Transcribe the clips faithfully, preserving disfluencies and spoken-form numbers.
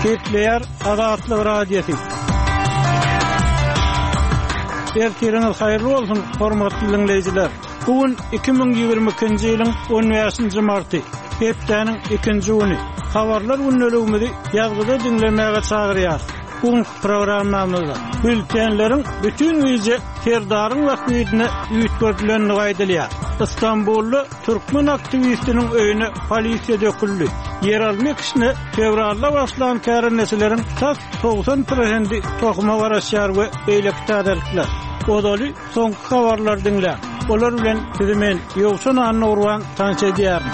Gepleýär Azatlyk Radiosy. Ertiriňiz haýyrly bolsun, hormatly diňleýjiler. Bu gün iki müň ýigrimi ikinji ýylyň on bäşinji marty, hepdäniň ikinji güni. Habarlar gündeligimizi ýazgyda diňlemäge çagyrýar. Bu günki programmamyzda bültenleriň bütin gije Serdaryň bähbidine üýtgedilendigi aýdylýar. Istanbulda türkmen aktiwistiniň öýüne polisiýa döküldi. Ýeralma ekişine fewralda başlan kärendeçileriň tas togsan prosenti tohuma garaşýar we beýleki täzelikler. Ozaly soňky habarlary diňläň. Olar bilen sizi men Ýowşan Annagurban tanyş edýärin.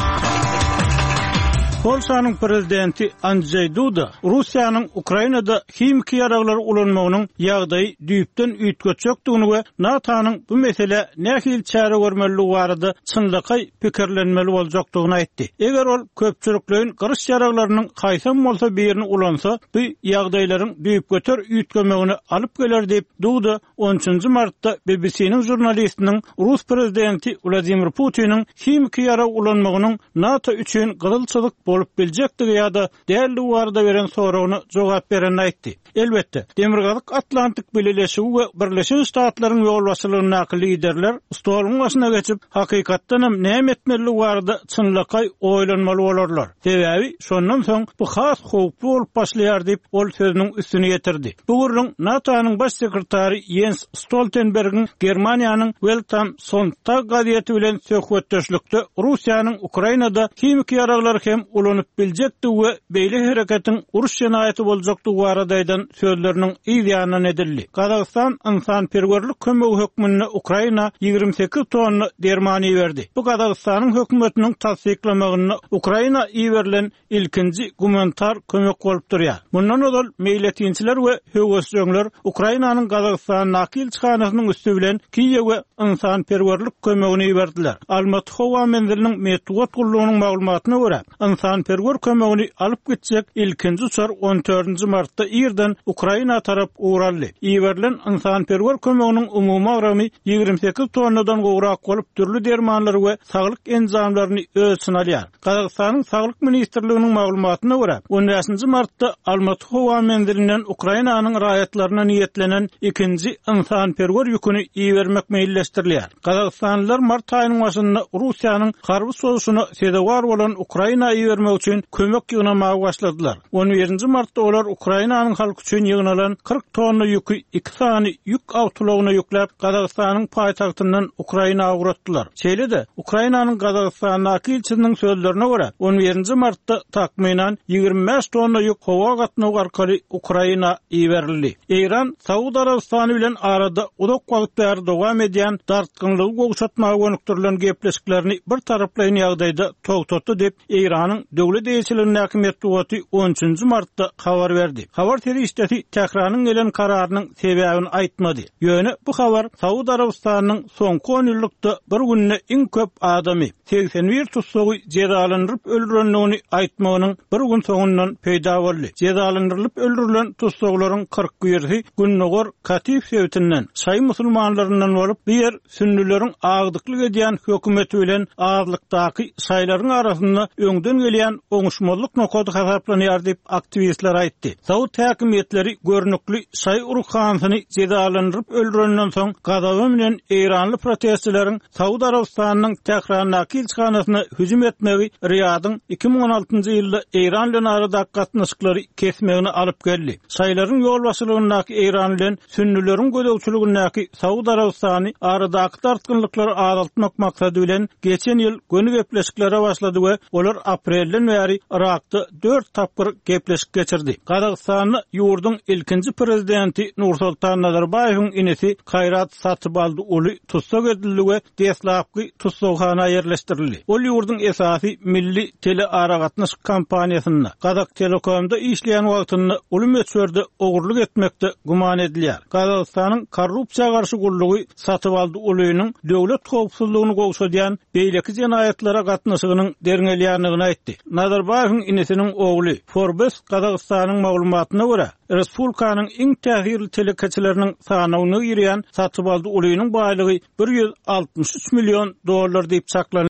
Polşanyň prezidenti Andrzej Duda Russiýanyň Ukrainada himiki ýaraglary ulanmagynyň ýagdaýy düýpden üýtgetjekdigini we NATO-nyň bu mesele nähili çäre görmelidigi barada çynlakaý pikirlenmeli boljakdygyny aýtdy. Eger ol köpçülikleýin gyryş ýaraglarynyň haýsam bolsa birini ulansa, bu ýagdaýlaryň düýpgöter üýtgemegini alyp geler diýip, Duda on üçünji martda B B C-niň žurnalistiniň Rus prezidenti Wladimir Putiniň himiki ýarag ulanmagynyň NATO üçin gyzyl çyzyk bolup biljekdigi ýa-da däldigi barada beren soragyna jogap berenini aýtdy. Elbetde, Demirgazyk Atlantik Bileleşigi we Birleşen Ştatlaryň ýolbaşçylygyndaky liderler stoluň başyna geçip, hakykatdan hem näme etmelidigi barada çynlakaý oýlanmaly bolarlar. Sebäbi şondan soň bu has howply bolup başlaýar diýip, ol sözüniň üstüni ýetirdi. Bu gürrüň NATO-nyň baş sekretary Jens Stoltenbergiň Germaniýanyň Welt am Sonntag gazeti bilen söhbetdeşlikde Russiýanyň Ukrainada himiki ýaraglary hem ulanyp biljekdigi we beýle hereketiň uruş jenaýaty boljakdygy barada aýdan sözleriniň yz ýanyndan edildi. Gazagystan ynsanperwerlik kömegi hökmünde Ukraina ýigrimi sekiz tonna derman iberdi. Bu Gazagystanyň hökümetiniň tassyklamagyna Ukraina iberilen ilkinji gumanitar kömek bolup durýar. Mundan ozal meýletinçiler we höwesjeňler Ukrainanyň Gazagystandaky ilçihanasynyň üsti bilen Kiýewe ynsanperwerlik kömegini iberdiler. Almaty howa menziliniň metbugat gullugynyň maglumatyna görä, ynsanperwer kömegini alyp gitjek ilkinji uçar on dördünji martda irden Ukraina tarap ugraldy. Iberilen ynsanperwer kömeginiň umumy agramy ýigrimi sekiz tonnadan gowrak bolup, dürli dermanlary we saglyk enjamlaryny öz içine alýar. Gazagystanyň Saglyk ministrliginiň maglumatyna görä, on bäşinji martda Almaty howa menzilinden Ukrainanyň raýatlaryna niýetlenen ikinji ynsanperwer ýüküni ibermek meýilleşdirilýär. Gazagystanlylar mart aýynyň başynda Russiýanyň harby sowuşyna sezewar bolan Ukraina ibermek üçin kömek ýygnamaga başladylar. On birinji martda olar Ukrainanyň halky üçin ýygnalan kyrk tonna ýüki iki sany ýük awtoulagyna ýükläp Gazagystanyň paýtagtyndan Ukraina ugratdylar. Şeýle-de Ukrainanyň Gazagystandaky ilçisiniň sözlerine görä, on birinji martda takmynan ýigrimi bäş tonna ýük howa gatnawy arkaly Ukraina iberildi. Eýran Saud Arabystany bilen arada uzak wagt bäri dowam edýän dartgynlygy gowşatmaga gönükdirilen gepleşiklerini bir taraplaýyn ýagdaýda togtatdy diýip, Eýranyň döwlet eýeçiligindäki metbugaty on üçünji martda habar berdi. Habar serişdesi Tähranyň gelen kararynyň sebäbini aýtmady. Ýöne bu habar Saud Arabystanynyň soňky on ýyllykda bir günde iň köp adamy segsen bir tutsagy jezalandyryp öldürendigini aýtmagynyň bir gün soňundan peýda boldy. Jezalandyrylyp öldürilen tussaglaryň kyrk birisi Gündogar Katif sebitinden, şaý musulmanlaryndan bolup, bu ýer sünnüleriň agdyklyk edýän hökümeti bilen azlykdaky şaýlaryň arasynda öňden gelýän oňuşmazlyk nokady hasaplanýar diýip aktiwistler aýtdy. Saud häkimiýetleri görnükli şaý ruhanysyny jezalandyryp öldürenden soň gazaba bilen Eýranly protestçileriň Saud Arabystanynyň Tährandaky ilçihanasyna hüjüm etmegi Riýadyň iki müň on altynjy ýylda Eýran bilen aradaky gatnaşyklary kesmegini alyp geldi. Şaýlaryň ýolbaşçylygyndaky Eýran bilen sünnüleriň gözegçiligindäki Saud Arabystany aradaky dartgynlyklary azaltmak maksady bilen geçen ýyl göni gepleşiklere başlady we olar aprelden bäri Irakda dört tapgyr gepleşik geçirdi. Gazagystanda ýurduň ilkinji prezidenti Nursultan Nazarbaýewiň inisi Kaýrat Satybaldy uly tussag edildi we deslapky tussaghana ýerleşdirildi. Ol ýurduň esasy milli telearagatnaşyk kompaniýasynda Gazak Telekomda işleýän wagtynda uly möçberde ogurlyk etmekde güman edilýär. Gazagystanyň korrupsiýa garşy gullugy Satybaldy ulynyň döwlet howpsuzlygyny gowşadýan beýleki jenaýatlara gatnaşygynyň derňelýändigini aýtdy. Nazarbaýewiň inisiniň ogly Forbes Gazagystanyň maglumatyna görä, Respublikanyň iň täsirli telekeçileriniň sanawyna girýän Satybaldy ulynyň baýlygy bir ýüz altmyş üç million dollar diýip çaklanylýar.